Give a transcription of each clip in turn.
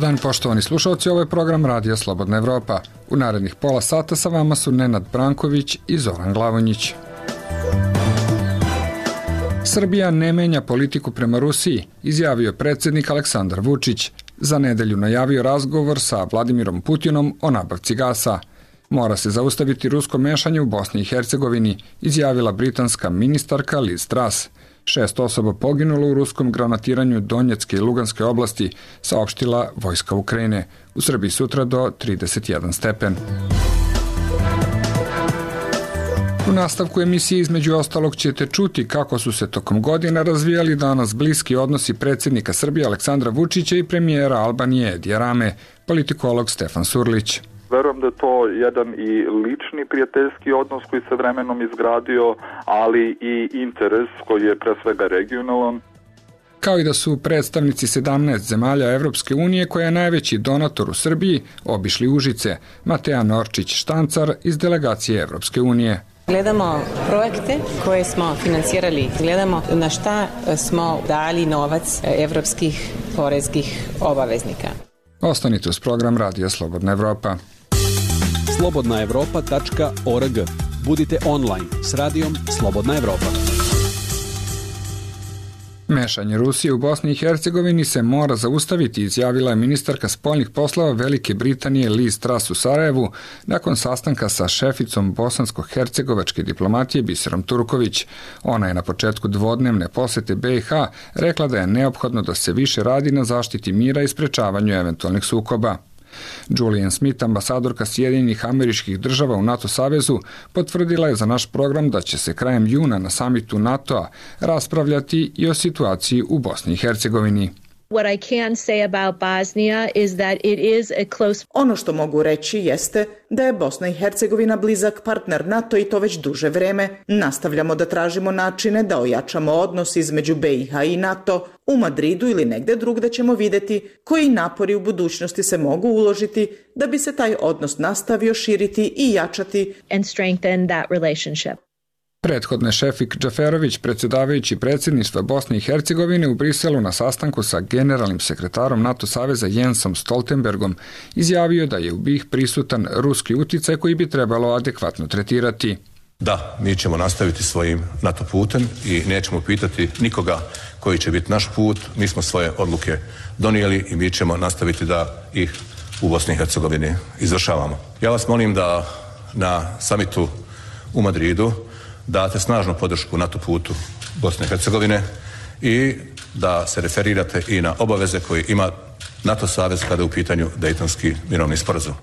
dan, poštovani slušalci, ovo je program Radija Slobodna Evropa. U narednih pola sata sa vama su Nenad Branković i Zoran Glavonjić. Srbija ne menja politiku prema Rusiji, izjavio predsjednik Aleksandar Vučić. Za nedelju najavio razgovor sa Vladimirom Putinom o nabavci gasa. Mora se zaustaviti rusko mešanje u Bosni i Hercegovini, izjavila britanska ministarka Liz Truss. 6 osoba poginulo u ruskom granatiranju Donjecke i Luganske oblasti, saopštila vojska Ukrajine. U Srbiji sutra do 31 stepen. U nastavku emisije između ostalog ćete čuti kako su se tokom godina razvijali danas bliski odnosi predsjednika Srbije Aleksandra Vučića i premijera Albanije Edija Rame, politikolog Stefan Surlić. Verujem da je to jedan i lični prijateljski odnos koji se vremenom izgradio, ali i interes koji je pre svega regionalan. Kao i da su predstavnici 17 zemalja Evropske unije, koja je najveći donator u Srbiji, obišli Užice. Mateja Norčić-Štancar iz delegacije Evropske unije. Gledamo projekte koje smo finansirali, gledamo na šta smo dali novac evropskih poreskih obaveznika. Ostanite uz program Radija Slobodna Evropa. slobodnaevropa.org. Budite online s radijom Slobodna Evropa. Mešanje Rusije u Bosni i Hercegovini se mora zaustaviti, izjavila je ministarka spoljnih poslova Velike Britanije Liz Truss u Sarajevu nakon sastanka sa šeficom bosansko-hercegovačke diplomatije Biserom Turković. Ona je na početku dvodnevne posete BiH rekla da je neophodno da se više radi na zaštiti mira i sprečavanju eventualnih sukoba. Julian Smith, ambasadorka Sjedinjenih Američkih Država u NATO savezu, potvrdila je za naš program da će se krajem juna na samitu NATO-a raspravljati i o situaciji u Bosni i Hercegovini. What I can say about Bosnia is that it is a close... Ono što mogu reći jeste da je Bosna i Hercegovina blizak partner NATO i to već duže vreme. Nastavljamo da tražimo načine da ojačamo odnos između BiH i NATO. U Madridu ili negde drugde ćemo videti koji napori u budućnosti se mogu uložiti da bi se taj odnos nastavio širiti i jačati. And strengthen that relationship. Prethodne Šefik Džaferović, predsjedavajući predsjedništva Bosne i Hercegovine u Briselu na sastanku sa generalnim sekretarom NATO saveza Jensom Stoltenbergom, izjavio da je u BiH prisutan ruski uticaj koji bi trebalo adekvatno tretirati. Da, mi ćemo nastaviti svojim NATO putem i nećemo pitati nikoga koji će biti naš put. Mi smo svoje odluke donijeli i mi ćemo nastaviti da ih u Bosni i Hercegovini izvršavamo. Ja vas molim da na samitu u Madridu date snažnu podršku NATO putu Bosne i Hercegovine i da se referirate i na obaveze koje ima NATO savez kada je u pitanju Dejtonski mirovni sporazum.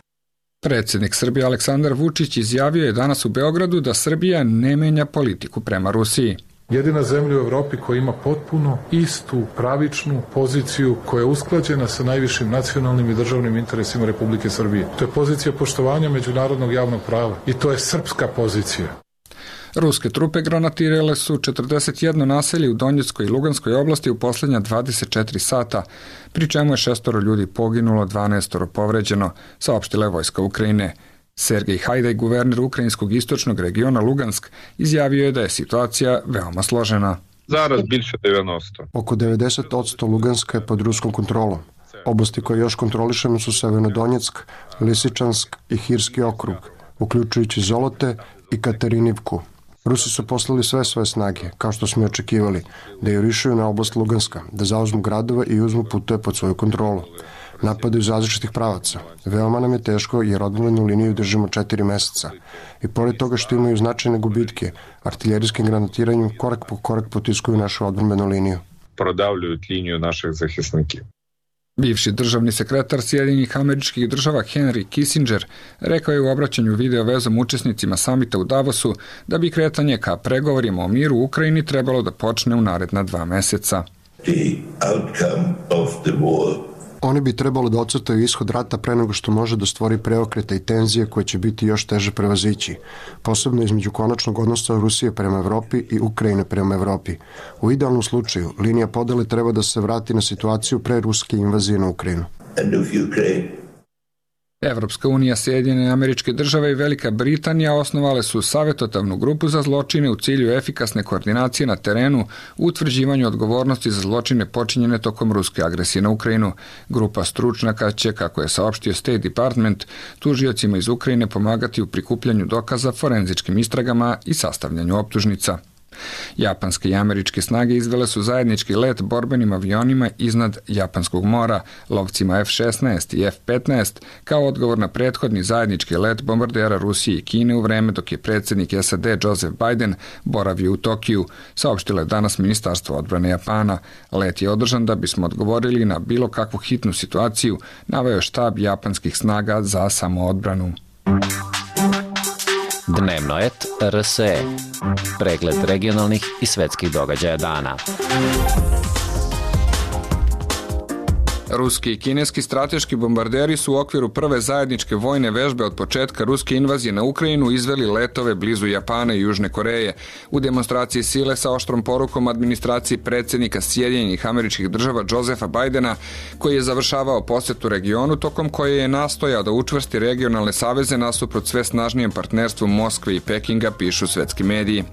Predsjednik Srbije Aleksandar Vučić izjavio je danas u Beogradu da Srbija ne menja politiku prema Rusiji. Jedina zemlja u Evropi koja ima potpuno istu pravičnu poziciju koja je usklađena sa najvišim nacionalnim i državnim interesima Republike Srbije. To je pozicija poštovanja međunarodnog javnog prava i to je srpska pozicija. Ruske trupe granatirale su 41 naselje u Donjeckoj i Luganskoj oblasti u posljednja 24 sata, pri čemu je 6 ljudi poginulo, 12 povređeno, saopštila je vojska Ukrajine. Sergej Hajdaj, guverner ukrajinskog istočnog regiona Lugansk, izjavio je da je situacija veoma složena. Zaraz biće 90. Oko 90% Luganska je pod ruskom kontrolom. Oblasti koje još kontrolišemo su Severnodonjeck, Lisičansk i Hirski okrug, uključujući Zolote i Katerinivku. Rusi su poslali sve svoje snage, kao što smo i očekivali, da jurišaju na oblast Luganska, da zauzmu gradova i uzmu puteve pod svoju kontrolu. Napadaju iz različitih pravaca. Veoma nam je teško jer odbrambenu liniju držimo 4 meseca. I pored toga što imaju značajne gubitke, artiljerijskim granatiranjem korak po korak potiskuju našu odbrambenu liniju. Prodavljuju liniju naših zahisniki. Bivši državni sekretar Sjedinjenih Američkih Država Henry Kissinger rekao je u obraćanju video vezom učesnicima samita u Davosu da bi kretanje ka pregovorima o miru u Ukrajini trebalo da počne u naredna 2 meseca. Oni bi trebalo da ocrtaju ishod rata pre nego što može da stvori preokrete i tenzije koje će biti još teže prevazići, posebno između konačnog odnosa Rusije prema Evropi i Ukrajine prema Evropi. U idealnom slučaju, linija podele treba da se vrati na situaciju pre ruske invazije na Ukrajinu. Evropska unija, Sjedinjene Američke Države i Velika Britanija osnovale su savjetodavnu grupu za zločine u cilju efikasne koordinacije na terenu u utvrđivanju odgovornosti za zločine počinjene tokom ruske agresije na Ukrajinu. Grupa stručnjaka će, kako je saopštio State Department, tužiocima iz Ukrajine pomagati u prikupljanju dokaza, forenzičkim istragama i sastavljanju optužnica. Japanske i američke snage izvele su zajednički let borbenim avionima iznad Japanskog mora, lovcima F-16 i F-15, kao odgovor na prethodni zajednički let bombardera Rusije i Kine u vreme dok je predsjednik SAD Joseph Biden boravio u Tokiju, saopštilo je danas Ministarstvo odbrane Japana. Let je održan da bismo odgovorili na bilo kakvu hitnu situaciju, naveo je štab japanskih snaga za samoodbranu. Dnevno et RSE. Pregled regionalnih i svetskih događaja dana. Ruski i kineski strateški bombarderi su u okviru prve zajedničke vojne vežbe od početka ruske invazije na Ukrajinu izveli letove blizu Japana i Južne Koreje u demonstraciji sile sa oštrom porukom administraciji predsjednika Sjedinjenih Američkih Država Josepha Bidena, koji je završavao posjetu regionu tokom koje je nastojao da učvrsti regionalne saveze nasuprot sve snažnijem partnerstvu Moskve i Pekinga, pišu svetski mediji.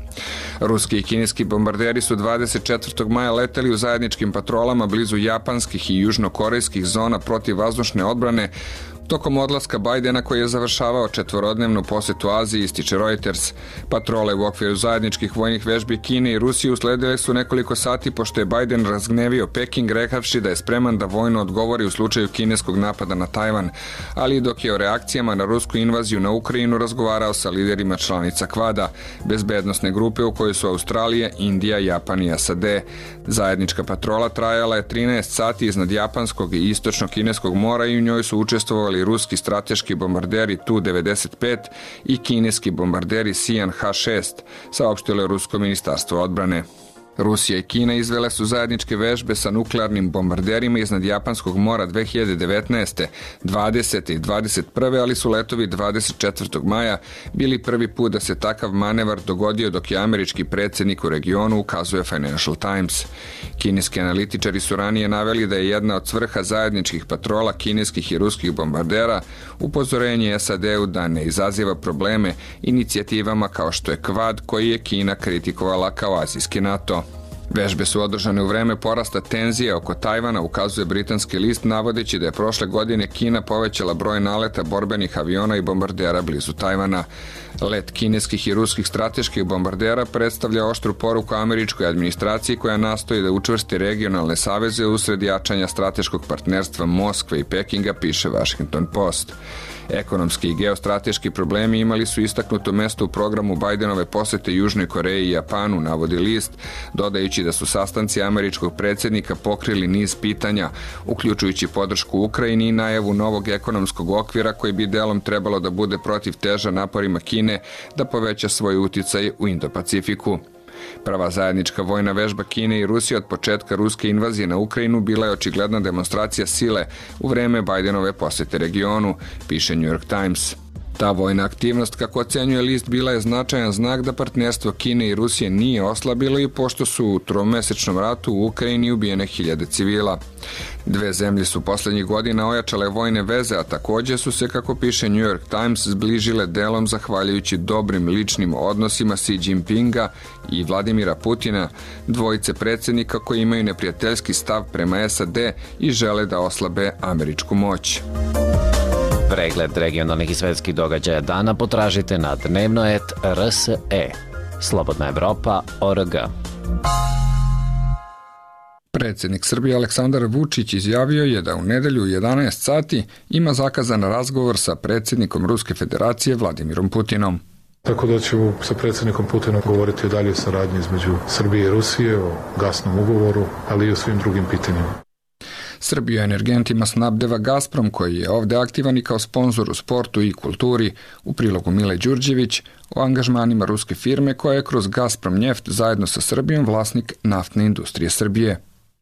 Ruski i kineski bombarderi su 24. maja leteli u zajedničkim patrolama blizu japanskih i južnokorejskih zona protivvazdušne odbrane tokom odlaska Bidena koji je završavao četvorodnevnu posjetu Aziji, ističe Reuters. Patrole u okviru zajedničkih vojnih vežbi Kine i Rusije usledile su nekoliko sati pošto je Biden razgnevio Peking rekavši da je spreman da vojno odgovori u slučaju kineskog napada na Tajvan, ali i dok je o reakcijama na rusku invaziju na Ukrajinu razgovarao sa liderima članica Kvada, bezbednosne grupe u kojoj su Australija, Indija, Japan i SAD. Zajednička patrola trajala je 13 sati iznad japanskog i istočno-kineskog mora i u njoj su učestvovali ruski strateški bombarderi Tu-95 i kineski bombarderi Sian H-6, saopštilo je Rusko ministarstvo odbrane. Rusija i Kina izvele su zajedničke vežbe sa nuklearnim bombarderima iznad Japanskog mora 2019. 20. i 21. ali su letovi 24. maja bili prvi put da se takav manevar dogodio dok je američki predsjednik u regionu, ukazuje Financial Times. Kineski analitičari su ranije naveli da je jedna od svrha zajedničkih patrola kineskih i ruskih bombardera upozorenje SAD-u da ne izaziva probleme inicijativama kao što je Kvad, koji je Kina kritikovala kao azijski NATO. Vežbe su održane u vreme porasta tenzije oko Tajvana, ukazuje britanski list, navodeći da je prošle godine Kina povećala broj naleta borbenih aviona i bombardera blizu Tajvana. Let kineskih i ruskih strateških bombardera predstavlja oštru poruku američkoj administraciji koja nastoji da učvrsti regionalne saveze usred jačanja strateškog partnerstva Moskve i Pekinga, piše Washington Post. Ekonomski i geostrateški problemi imali su istaknuto mesto u programu Bidenove posete Južnoj Koreji i Japanu, navodi list, dodajući da su sastanci američkog predsjednika pokrili niz pitanja, uključujući podršku Ukrajini i najavu novog ekonomskog okvira koji bi delom trebalo da bude protiv teža naporima Kine da poveća svoj uticaj u Indo-Pacifiku. Prva zajednička vojna vežba Kine i Rusije od početka ruske invazije na Ukrajinu bila je očigledna demonstracija sile u vreme Bidenove posete regionu, piše New York Times. Ta vojna aktivnost, kako ocenjuje list, bila je značajan znak da partnerstvo Kine i Rusije nije oslabilo i pošto su u tromesečnom ratu u Ukrajini ubijene hiljade civila. Dve zemlje su poslednjih godina ojačale vojne veze, a također su se, kako piše New York Times, zbližile delom zahvaljujući dobrim ličnim odnosima Xi Jinpinga i Vladimira Putina, dvojice predsjednika koji imaju neprijateljski stav prema SAD i žele da oslabe američku moć. Pregled regionalnih i svetskih događaja dana potražite na dnevno.rt.rs.e. Slobodna Evropa.org. Predsjednik Srbije Aleksandar Vučić izjavio je da u nedelju u 11 sati ima zakazan razgovor sa predsjednikom Ruske federacije Vladimirom Putinom. Tako da ćemo sa predsjednikom Putinom govoriti o daljoj saradnji između Srbije i Rusije, o gasnom ugovoru, ali i o svim drugim pitanjima. Srbiju energentima snabdeva Gazprom, koji je ovde aktivan i kao sponzor u sportu i kulturi, u prilogu Mile Đurđević, o angažmanima ruske firme koja je kroz Gazprom Njeft zajedno sa Srbijom vlasnik naftne industrije Srbije.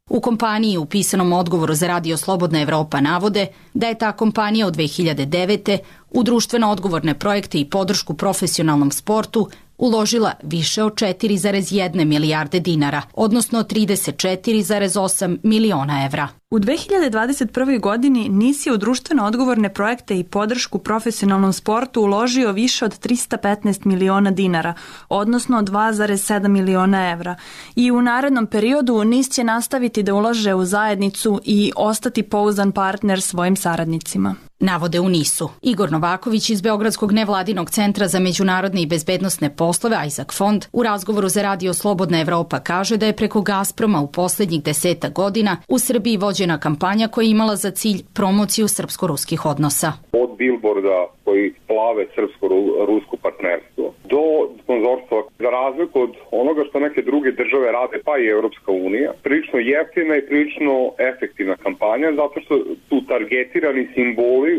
U kompaniji u pisanom odgovoru za Radio Slobodna Evropa navode da je ta kompanija od 2009. u društveno odgovorne projekte i podršku profesionalnom sportu uložila više od 4,1 milijarde dinara, odnosno 34,8 miliona evra. U 2021. godini NIS je u društveno odgovorne projekte i podršku profesionalnom sportu uložio više od 315 miliona dinara, odnosno 2,7 miliona evra. I u narednom periodu NIS će nastaviti da ulaže u zajednicu i ostati pouzdan partner svojim saradnicima. Navode u NIS-u. Igor Novaković iz Beogradskog nevladinog centra za međunarodne i bezbednosne poslove Isaac Fond u razgovoru za Radio Slobodna Evropa kaže da je preko Gazproma u poslednjih 10 godina u Srbiji vođena kampanja koja je imala za cilj promociju srpsko-ruskih odnosa. Od bilborda koji plave srpsko-rusko partnerstvo do sponzorstva, za razliku od onoga što neke druge države rade, pa i Evropska unija, prilično jeftina i prilično efektivna kampanja, zato što su targetirani simboli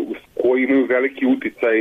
koji imaju veliki uticaj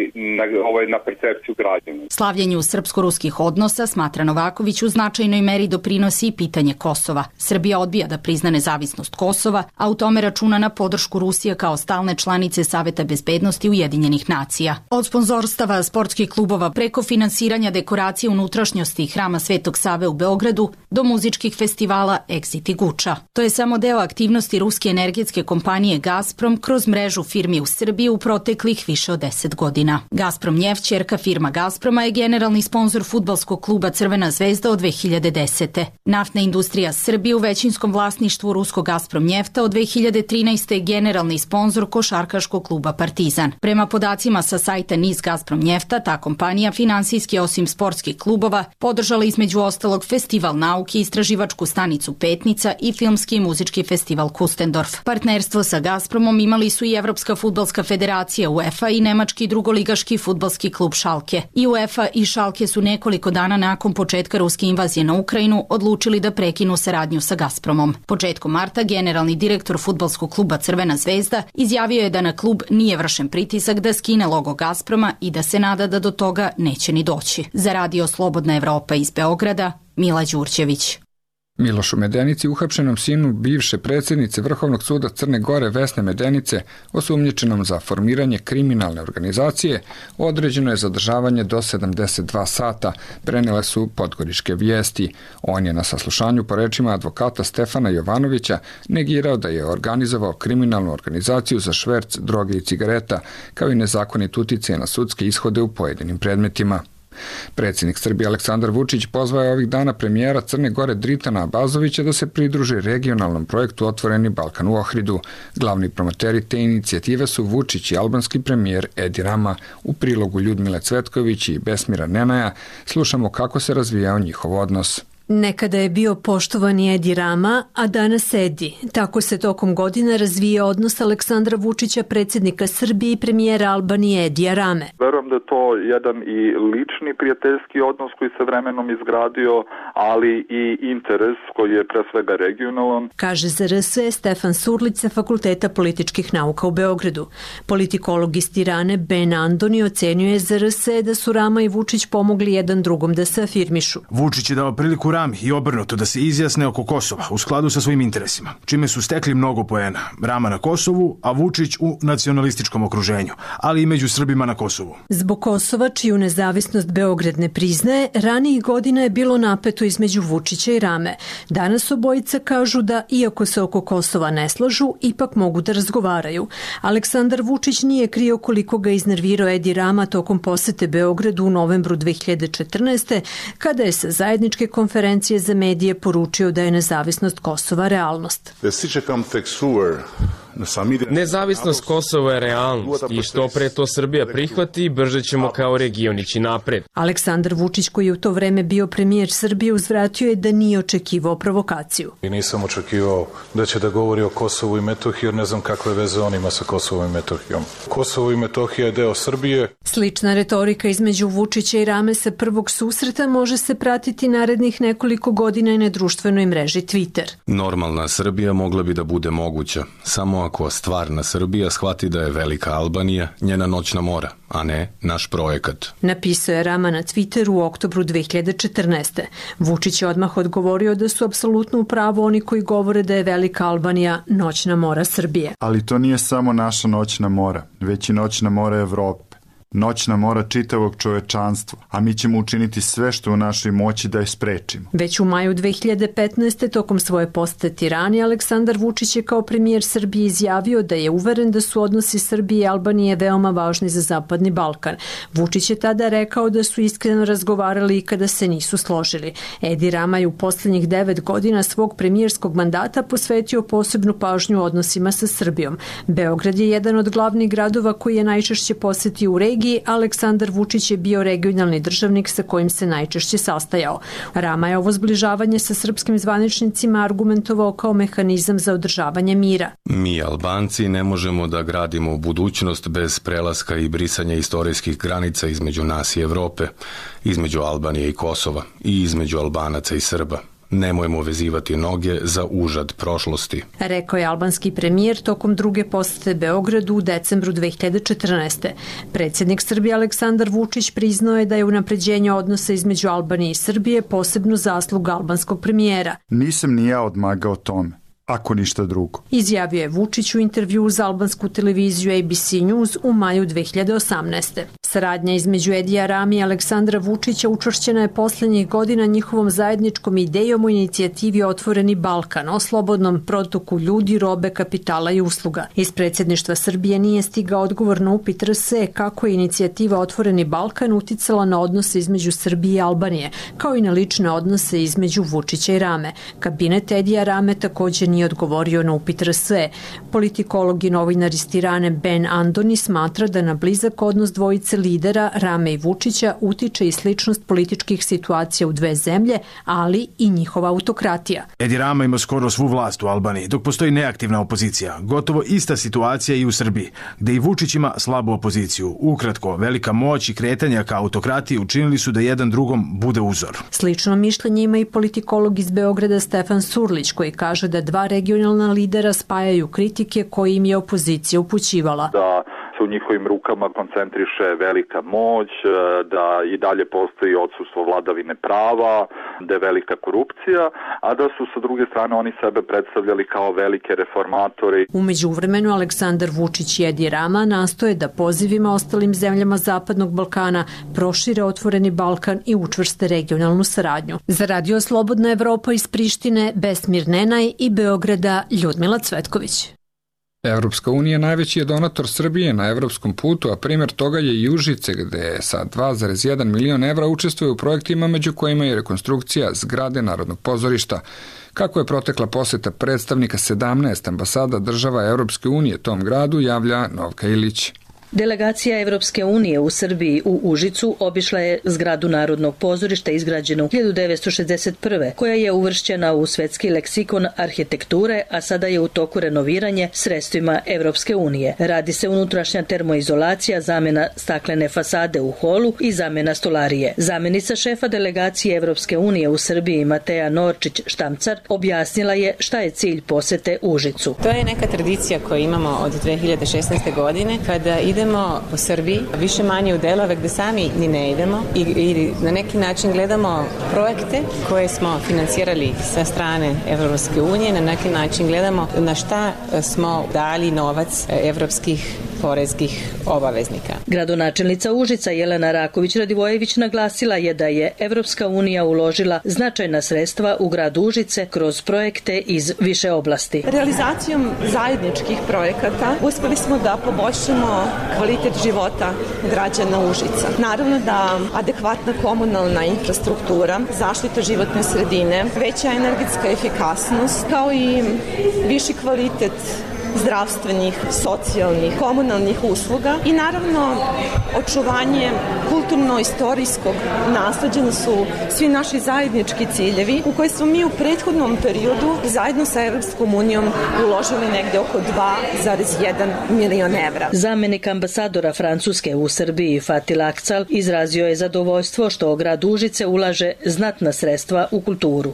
na percepciju građana. Slavljenju srpsko-ruskih odnosa, smatra Novaković, u značajnoj meri doprinosi i pitanje Kosova. Srbija odbija da prizna nezavisnost Kosova, a u tome računa na podršku Rusije kao stalne članice Saveta bezbednosti Ujedinjenih nacija. Od sponzorstava sportskih klubova preko finansiranja dekoracije unutrašnjosti Hrama Svetog Save u Beogradu do muzičkih festivala Exit i Guča. To je samo deo aktivnosti ruske energetske kompanije Gazprom kroz mrežu firmi u Srbiji u proteklih više od 10 godina. Gazprom Njeft, ćerka firma Gazproma, je generalni sponzor fudbalskog kluba Crvena zvezda od 2010. Naftna industrija Srbije u većinskom vlasništvu ruskog Gazprom Njefta od 2013. je generalni sponzor košarkaškog kluba Partizan. Prema podacima sa sajta NIS Gazprom Njefta, ta kompanija finansijski osim sportskih klubova podržala između ostalog Festival nauke, istraživačku stanicu Petnica i filmski i muzički festival Kustendorf. Partnerstvo sa Gazpromom imali su i Evropska fudbalska federacija UEFA i nemački drugoligaški fudbalski klub Schalke. I UEFA i Schalke su nekoliko dana nakon početka ruske invazije na Ukrajinu odlučili da prekinu saradnju sa Gazpromom. Početkom marta generalni direktor fudbalskog kluba Crvena zvezda izjavio je da na klub nije vršen pritisak da skine logo Gazproma i da se nada da do toga neće ni doći. Za Radio Slobodna Evropa iz Beograda, Mila Đurđević. Milošu Medenici, uhapšenom sinu bivše predsjednice Vrhovnog suda Crne Gore Vesne Medenice, osumnjičenom za formiranje kriminalne organizacije, određeno je zadržavanje do 72 sata, prenele su Podgoričke vijesti. On je na saslušanju po rečima advokata Stefana Jovanovića negirao da je organizovao kriminalnu organizaciju za šverc droge i cigareta, kao i nezakonit uticaj na sudske ishode u pojedinim predmetima. Predsjednik Srbije Aleksandar Vučić pozvao je ovih dana premijera Crne Gore Dritana Abazovića da se pridruži regionalnom projektu Otvoreni Balkan u Ohridu. Glavni promoteri te inicijative su Vučić i albanski premijer Edi Rama. U prilogu Ljudmile Cvetković i Besmira Nenaja slušamo kako se razvijao njihov odnos. Nekada je bio poštovani Edi Rama, a danas Edi. Tako se tokom godina razvija odnos Aleksandra Vučića, predsjednika Srbije i premijera Albanije Edija Rame. Verujem da je to jedan i lični prijateljski odnos koji se vremenom izgradio, ali i interes koji je pre svega regionalan. Kaže za RSE Stefan Surlić sa Fakulteta političkih nauka u Beogradu. Politikolog iz Tirane Ben Andoni ocenjuje za RSE da su Rama i Vučić pomogli jedan drugom da se afirmišu. Vučić je dao priliku Rami i obrnuto da se izjasne oko Kosova u skladu sa svojim interesima, čime su stekli mnogo poena. Rama na Kosovu, a Vučić u nacionalističkom okruženju, ali i među Srbima na Kosovu. Zbog Kosova, čiju nezavisnost Beograd ne priznaje, ranijih godina je bilo napeto između Vučića i Rame. Danas obojica kažu da, iako se oko Kosova ne slažu, ipak mogu da razgovaraju. Aleksandar Vučić nije krio koliko ga iznervirao Edi Rama tokom posete Beogradu u novembru 2014. kada je sa zajedničke konferencije za medije poručio da je nezavisnost Kosova realnost. Nezavisnost Kosova je realnost i što pre to Srbija prihvati, brže ćemo kao region ići napred. Aleksandar Vučić, koji je u to vreme bio premijer Srbije, uzvratio je da nije očekivao provokaciju. I nisam očekivao da će da govori o Kosovu i Metohiji, jer ne znam kakve veze on ima sa Kosovom i Metohijom. Kosovo i Metohija je deo Srbije. Slična retorika između Vučića i Rame sa prvog susreta može se pratiti narednih nekoliko godina i na društvenoj mreži Twitter. Normalna Srbija mogla bi da bude moguća, samo ako stvarna Srbija shvati da je velika Albanija njena noćna mora, a ne naš projekat. Napisao je Rama na Twitteru u oktobru 2014. Vučić je odmah odgovorio da su apsolutno u pravu oni koji govore da je velika Albanija noćna mora Srbije. Ali to nije samo naša noćna mora, već i noćna mora Evrope. Noćna mora čitavog čovečanstva, a mi ćemo učiniti sve što u našoj moći da je sprečimo. Već u maju 2015. tokom svoje posete Tirani, Aleksandar Vučić je kao premijer Srbije izjavio da je uveren da su odnosi Srbije i Albanije veoma važni za Zapadni Balkan. Vučić je tada rekao da su iskreno razgovarali i kada se nisu složili. Edi Rama je u poslednjih 9 godina svog premijerskog mandata posvetio posebnu pažnju odnosima sa Srbijom. Beograd je jedan od glavnih gradova koji je najčešće posetio u regiji, Aleksandar Vučić je bio regionalni državnik sa kojim se najčešće sastajao. Rama je ovo zbližavanje sa srpskim zvaničnicima argumentovao kao mehanizam za održavanje mira. Mi, Albanci, ne možemo da gradimo budućnost bez prelaska i brisanja istorijskih granica između nas i Evrope, između Albanije i Kosova i između Albanaca i Srba. Nemojmo vezivati noge za užad prošlosti. Rekao je albanski premijer tokom druge posete Beogradu u decembru 2014. Predsjednik Srbije Aleksandar Vučić priznao je da je unapređenje odnosa između Albanije i Srbije posebno zasluga albanskog premijera. Nisam ni ja odmagao tome, ako ništa drugo. Izjavio je Vučić u intervju za albansku televiziju ABC News u maju 2018. Saradnja između Edija Rami i Aleksandra Vučića učvršćena je poslednjih godina njihovom zajedničkom idejom o inicijativi Otvoreni Balkan, o slobodnom protoku ljudi, robe, kapitala i usluga. Iz predsjedništva Srbije nije stigao odgovor na upit RS kako je inicijativa Otvoreni Balkan uticala na odnose između Srbije i Albanije, kao i na lične odnose između Vučića i Rame. Kabinet Edija Rame također nije odgovorio na upit RS. Politikolog i novinar iz Tirane Ben Andoni smatra da na blizak odnos dvojice lidera Rame i Vučića utiče i sličnost političkih situacija u dve zemlje, ali i njihova autokratija. Edi Rama ima skoro svu vlast u Albaniji, dok postoji neaktivna opozicija. Gotovo ista situacija i u Srbiji, gde i Vučić ima slabu opoziciju. Ukratko, velika moć i kretanja ka autokratiji učinili su da jedan drugom bude uzor. Slično mišljenje ima i politikolog iz Beograda Stefan Surlić, koji kaže da dva regionalna lidera spajaju kritike koje im je opozicija upućivala. Da se u njihovim rukama koncentriše velika moć, da i dalje postoji odsustvo vladavine prava, da je velika korupcija, a da su sa druge strane oni sebe predstavljali kao velike reformatori. U međuvremenu Aleksandar Vučić i Edi Rama nastoje da pozivima ostalim zemljama Zapadnog Balkana prošire Otvoreni Balkan i učvrste regionalnu saradnju. Za Radio Slobodna Evropa iz Prištine, Besmir Nenaj i Beograda, Ljudmila Cvetković. Evropska unija najveći je donator Srbije na evropskom putu, a primjer toga je i Užice, gde sa 2,1 milion evra učestvuje u projektima među kojima je rekonstrukcija zgrade Narodnog pozorišta. Kako je protekla poseta predstavnika 17 ambasada država Evropske unije tom gradu, javlja Novka Ilić. Delegacija Evropske unije u Srbiji u Užicu obišla je zgradu Narodnog pozorišta izgrađenu 1961. koja je uvršćena u svetski leksikon arhitekture, a sada je u toku renoviranje sredstvima Evropske unije. Radi se unutrašnja termoizolacija, zamena staklene fasade u holu i zamena stolarije. Zamenica šefa delegacije Evropske unije u Srbiji Mateja Norčić-Štamcar objasnila je šta je cilj posete Užicu. To je neka tradicija koju imamo od 2016. godine kada idemo po Srbiji, više manje u delove gde sami ni ne idemo i na neki način gledamo projekte koje smo finansirali sa strane Evropske unije, na neki način gledamo na šta smo dali novac evropskih porezkih obaveznika. Gradonačelnica Užica Jelena Raković-Radivojević naglasila je da je Evropska unija uložila značajna sredstva u grad Užice kroz projekte iz više oblasti. Realizacijom zajedničkih projekata uspeli smo da poboljšamo kvalitet života građana Užica. Naravno da adekvatna komunalna infrastruktura, zaštita životne sredine, veća energetska efikasnost, kao i viši kvalitet zdravstvenih, socijalnih, komunalnih usluga i naravno očuvanje kulturno-istorijskog nasleđa su svi naši zajednički ciljevi u koje smo mi u prethodnom periodu zajedno sa Evropskom unijom uložili negde oko 2,1 milion evra. Zamenik ambasadora Francuske u Srbiji Fatih Akcal izrazio je zadovoljstvo što grad Užice ulaže znatna sredstva u kulturu.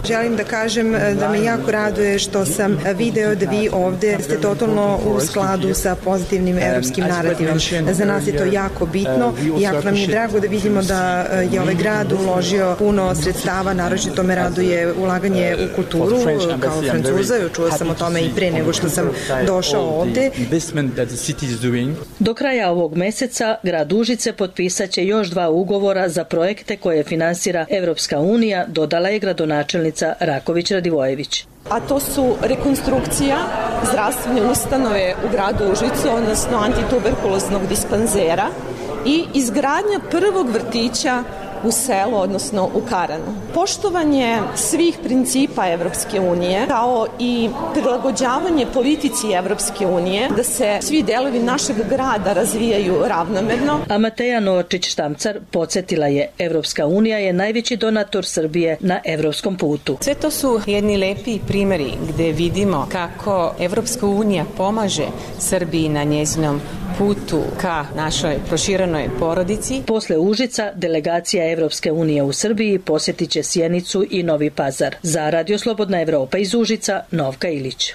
Želim da kažem da me jako raduje što sam video da vi ovde ste totalno u skladu sa pozitivnim evropskim narativom. Za nas je to jako bitno i jako nam je drago da vidimo da je ovaj grad uložio puno sredstava, naročito me raduje ulaganje u kulturu kao Francuza, čuo sam o tome i pre nego što sam došao ovde. Do kraja ovog meseca grad Užice potpisat će još 2 ugovora za projekte koje finansira Evropska unija, dodala je gradonačelnica Raković Radivojević. A to su rekonstrukcija zdravstvene ustanove u gradu Užicu, odnosno antituberkuloznog dispanzera i izgradnja prvog vrtića u selu, odnosno u Karanu. Poštovanje svih principa Evropske unije, kao i prilagođavanje politici Evropske unije, da se svi delovi našeg grada razvijaju ravnomerno. A Mateja Novačić-Štamcar podsjetila je, Evropska unija je najveći donator Srbije na evropskom putu. Sve to su jedni lepi primjeri gde vidimo kako Evropska unija pomaže Srbiji na njezinom putu ka našoj proširenoj porodici. Posle Užica, delegacija Evropske unije u Srbiji posjetit će Sjenicu i Novi Pazar. Za Radio Slobodna Evropa iz Užica, Novka Ilić.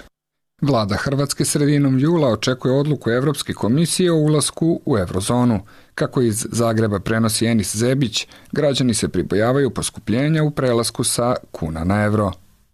Vlada Hrvatske sredinom jula očekuje odluku Evropske komisije o ulasku u eurozonu. Kako iz Zagreba prenosi Enis Zebić, građani se pribojavaju poskupljenja u prelasku sa kuna na euro.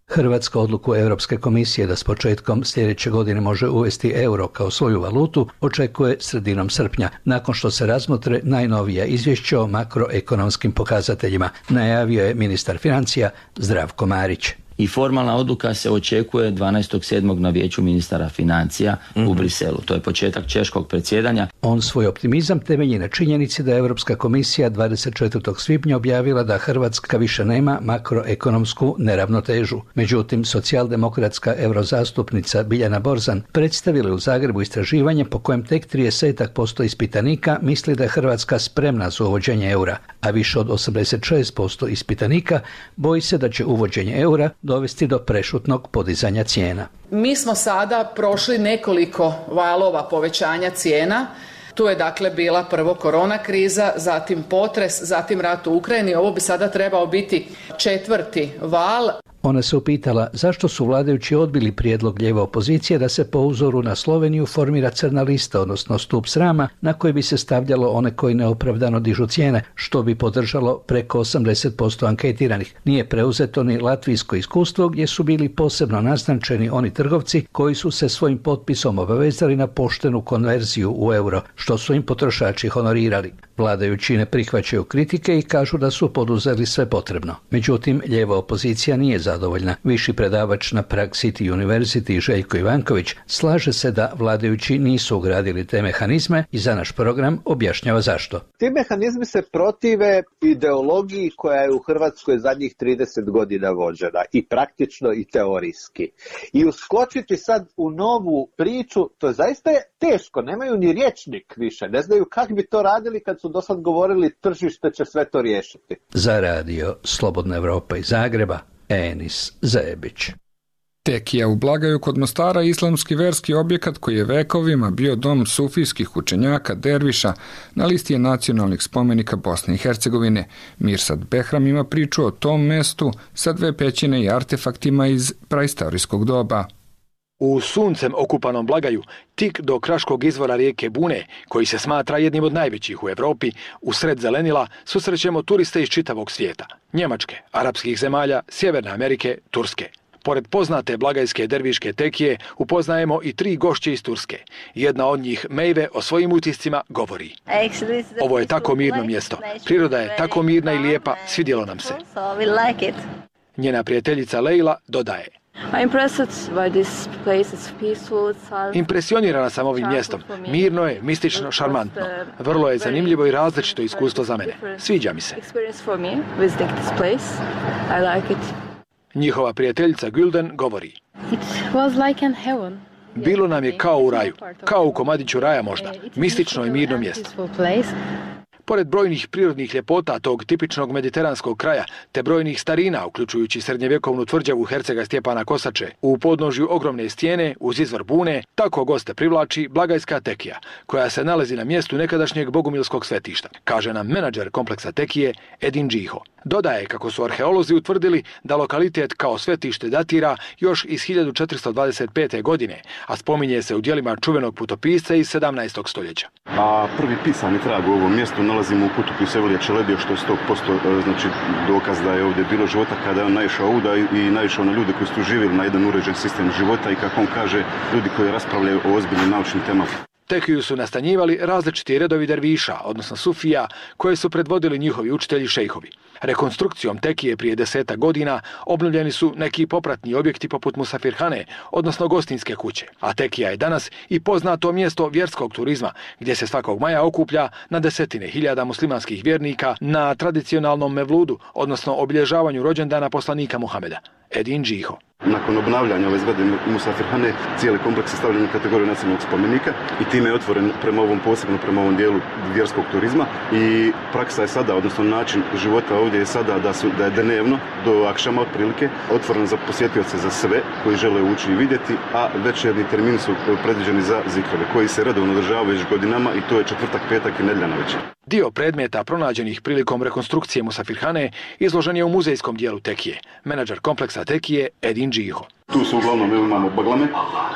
Hrvatska odluku Europske komisije da s početkom sljedeće godine može uvesti euro kao svoju valutu očekuje sredinom srpnja, nakon što se razmotre najnovija izvješća o makroekonomskim pokazateljima, najavio je ministar financija Zdravko Marić. I formalna odluka se očekuje 12.7. na vijeću ministara financija u Briselu. To je početak češkog predsjedanja. On svoj optimizam temelji na činjenici da je Europska komisija 24. svibnja objavila da Hrvatska više nema makroekonomsku neravnotežu. Međutim, socijaldemokratska eurozastupnica Biljana Borzan predstavila u Zagrebu istraživanje po kojem tek 30% ispitanika misli da je Hrvatska spremna za uvođenje eura, a više od 86% ispitanika boji se da će uvođenje eura dovesti do prešutnog podizanja cijena. Mi smo sada prošli nekoliko valova povećanja cijena. Tu je dakle bila prvo korona kriza, zatim potres, zatim rat u Ukrajini. Ovo bi sada trebao biti 4. val. Ona se upitala zašto su vladajući odbili prijedlog lijeve opozicije da se po uzoru na Sloveniju formira crna lista, odnosno stup srama, na koji bi se stavljalo one koji neopravdano dižu cijene, što bi podržalo preko 80% anketiranih. Nije preuzeto ni latvijsko iskustvo gdje su bili posebno naznačeni oni trgovci koji su se svojim potpisom obavezali na poštenu konverziju u euro, što su im potrošači honorirali. Vladajući ne prihvaćaju kritike i kažu da su poduzeli sve potrebno. Međutim, lijeva opozicija nije zadovoljna. Viši predavač na Prague City University Željko Ivanković slaže se da vladajući nisu ugradili te mehanizme i za naš program objašnjava zašto. Ti mehanizmi se protive ideologiji koja je u Hrvatskoj zadnjih 30 godina vođena i praktično i teorijski. I uskočiti sad u novu priču, to zaista je teško, nemaju ni rječnik više, ne znaju kako bi to radili kad su do sad govorili tržište će sve to riješiti. Za Radio Slobodna Evropa iz Zagreba, Enis Zebić. Tekija u Blagaju kod Mostara je islamski verski objekat koji je vekovima bio dom sufijskih učenjaka derviša, na listi je nacionalnih spomenika Bosne i Hercegovine. Mirsad Behram ima priču o tom mestu sa 2 pećine i artefaktima iz praistorijskog doba. U suncem okupanom Blagaju, tik do kraškog izvora rijeke Bune, koji se smatra jednim od najvećih u Evropi, u sred zelenila susrećemo turiste iz čitavog svijeta. Njemačke, arapskih zemalja, Sjeverne Amerike, Turske. Pored poznate blagajske derviške tekije upoznajemo i 3 gošće iz Turske. Jedna od njih, Mejve, o svojim utiscima govori. Ovo je tako mirno mjesto. Priroda je tako mirna i lijepa, svidjelo nam se. Njena prijateljica Leila dodaje. Impresionirana sam ovim mjestom. Mirno je, mistično, šarmantno. Vrlo je zanimljivo i različito iskustvo za mene. Sviđa mi se. Njihova prijateljica Gülden govori. Bilo nam je kao u raju, kao u komadiću raja možda, mistično i mirno mjesto. Pored brojnih prirodnih ljepota tog tipičnog mediteranskog kraja, te brojnih starina, uključujući srednjevjekovnu tvrđavu hercega Stjepana Kosače, u podnožju ogromne stijene uz izvor Bune, tako goste privlači Blagajska Tekija, koja se nalazi na mjestu nekadašnjeg bogumilskog svetišta, kaže nam menadžer kompleksa Tekije Edin Džiho. Dodaje kako su arheolozi utvrdili da lokalitet kao svetište datira još iz 1425. godine, a spominje se u djelima čuvenog putopisca iz 17. stoljeća. A prvi pisani trag u ovom mjestu nalazimo u putopisu Evlija Čelebija, što je 100% znači dokaz da je ovdje bilo života kada je on naišao ovuda i naišao na ljude koji su tu živjeli na jedan uređen sistem života i kako on kaže, ljudi koji raspravljaju o ozbiljnim naučnim temama. Tekiju su nastanjivali različiti redovi derviša, odnosno sufija, koje su predvodili njihovi učitelji šejhovi. Rekonstrukcijom Tekije prije 10 godina obnovljeni su neki popratni objekti poput Musafirhane, odnosno gostinske kuće. A Tekija je danas i poznato mjesto vjerskog turizma, gdje se svakog maja okuplja na desetine hiljada muslimanskih vjernika na tradicionalnom mevludu, odnosno obilježavanju rođendana poslanika Muhameda. Edin Džiho. Nakon obnavljanja ove zgrade Musafirhane, cijeli kompleks je stavljen u kategoriju nacionalnog spomenika i time je otvoren prema ovom dijelu vjerskog turizma i praksa je sada, odnosno način života ovdje je sada da je dnevno do akšama otprilike otvoren za posjetioce za sve koji žele ući i vidjeti, a večernji termini su predviđeni za zikrove koji se redovno održavaju već godinama i to je četvrtak, petak i nedjelja navečer. Dio predmeta pronađenih prilikom rekonstrukcije Musafirhane izložen je u muzejskom dijelu Tekije. Menadžer kompleksa Tekije Edin Džiho. Tu su uglavnom imamo baglame,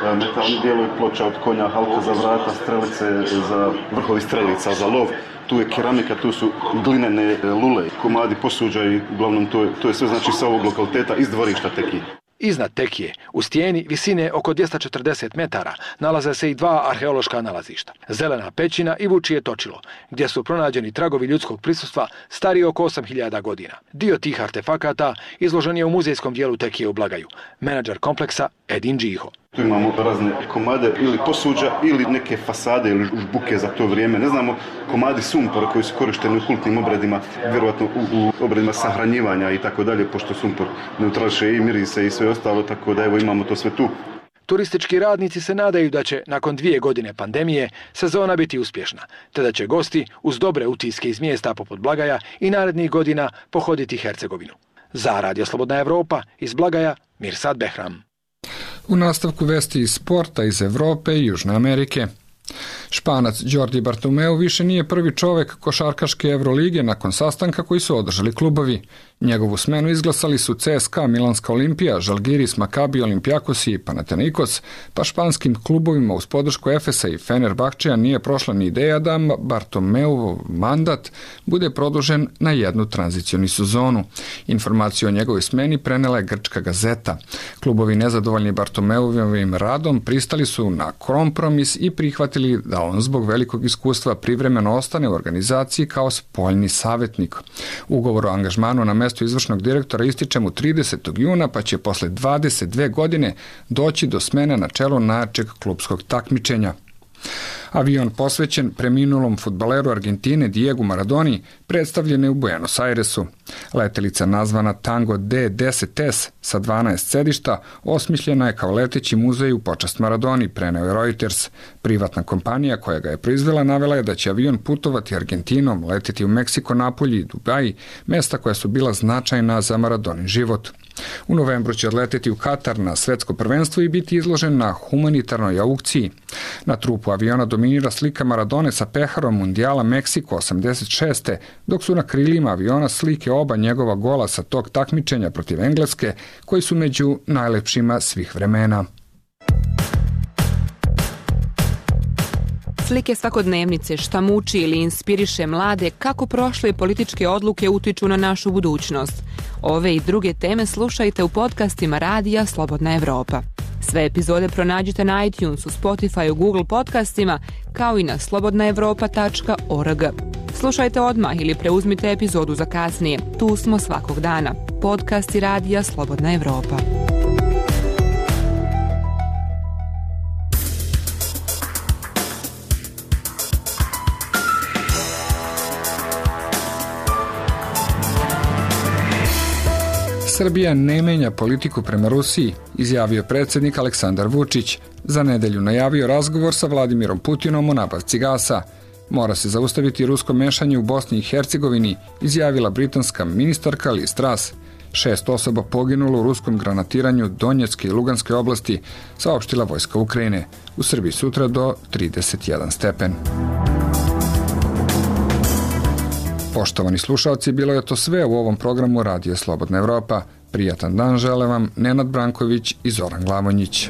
metalni dijelovi, ploča od konja, halka za vrata, strelice za vrhovi strelica, za lov. Tu je keramika, tu su glinene lule, komadi posuđa i uglavnom to je sve znači sa ovog lokaliteta iz dvorišta Tekije. Iznad Tekije, u stijeni visine oko 240 metara, nalaze se i dva arheološka nalazišta. Zelena pećina i Vučije točilo, gdje su pronađeni tragovi ljudskog prisustva stariji oko 8000 godina. Dio tih artefakata izložen je u muzejskom dijelu Tekije u Blagaju. Menadžer kompleksa Edin Džiho. Tu imamo razne komade ili posuđa ili neke fasade ili žbuke za to vrijeme. Ne znamo, komadi sumpora koji su korišteni u kultnim obredima, vjerovatno u obredima sahranjivanja i tako dalje, pošto sumpor neutrališe i mirise i sve ostalo, tako da evo imamo to sve tu. Turistički radnici se nadaju da će, nakon 2 godine pandemije, sezona biti uspješna, te da će gosti, uz dobre utiske iz mjesta poput Blagaja, i narednih godina pohoditi Hercegovinu. Za Radio Slobodna Evropa, iz Blagaja, Mirsad Behram. U nastavku vesti iz sporta iz Evrope i Južne Amerike. Španac Jordi Bartomeu više nije prvi čovjek košarkaške Evrolige nakon sastanka koji su održali klubovi. Njegovu smenu izglasali su CSKA, Milanska Olimpija, Žalgiris, Makabi, Olimpijakos i Panathinaikos, pa španskim klubovima uz podršku Efesa i Fenerbahčeja nije prošla ni ideja da Bartomeu mandat bude produžen na jednu tranzicioni sezonu. Informaciju o njegovoj smeni prenela je grčka gazeta. Klubovi nezadovoljni Bartomeuvim radom pristali su na kompromis i prihvatili da on zbog velikog iskustva privremeno ostane u organizaciji kao spoljni savjetnik. Ugovor o angažmanu na mesto izvršnog direktora ističe mu 30. juna, pa će posle 22 godine doći do smene na čelu najjačeg klupskog takmičenja. Avion posvećen preminulom fudbaleru Argentine Diegu Maradoni predstavljen je u Buenos Airesu. Letelica nazvana Tango D10S sa 12 sedišta osmišljena je kao leteći muzej u počast Maradoni, preneo je Reuters. Privatna kompanija koja ga je proizvela navela je da će avion putovati Argentinom, leteti u Meksiko, Napolji i Dubaji, mesta koja su bila značajna za Maradonin život. U novembru će odleteti u Katar na svetsko prvenstvo i biti izložen na humanitarnoj aukciji. Na trupu aviona dominira slika Maradone sa peharom Mundijala Meksiko 86. dok su na krilima aviona slike oba njegova gola sa tog takmičenja protiv Engleske, koji su među najlepšima svih vremena. Slike svakodnevnice, šta muči ili inspiriše mlade, kako prošle političke odluke utiču na našu budućnost. Ove i druge teme slušajte u podcastima Radija Slobodna Evropa. Sve epizode pronađite na iTunesu, Spotify, Google podcastima, kao i na slobodnaevropa.org. Slušajte odmah ili preuzmite epizodu za kasnije. Tu smo svakog dana. Podcasti Radija Slobodna Evropa. Srbija ne menja politiku prema Rusiji, izjavio predsjednik Aleksandar Vučić. Za nedelju najavio razgovor sa Vladimirom Putinom o nabavci gasa. Mora se zaustaviti rusko mešanje u Bosni i Hercegovini, izjavila britanska ministarka Liz Truss. 6 osoba poginulo u ruskom granatiranju Donjecke i Luganske oblasti, saopštila vojska Ukrajine. U Srbiji sutra do 31 stepen. Poštovani slušalci, bilo je to sve u ovom programu Radio Slobodna Evropa. Prijatan dan žele vam Nenad Branković i Zoran Glavonjić.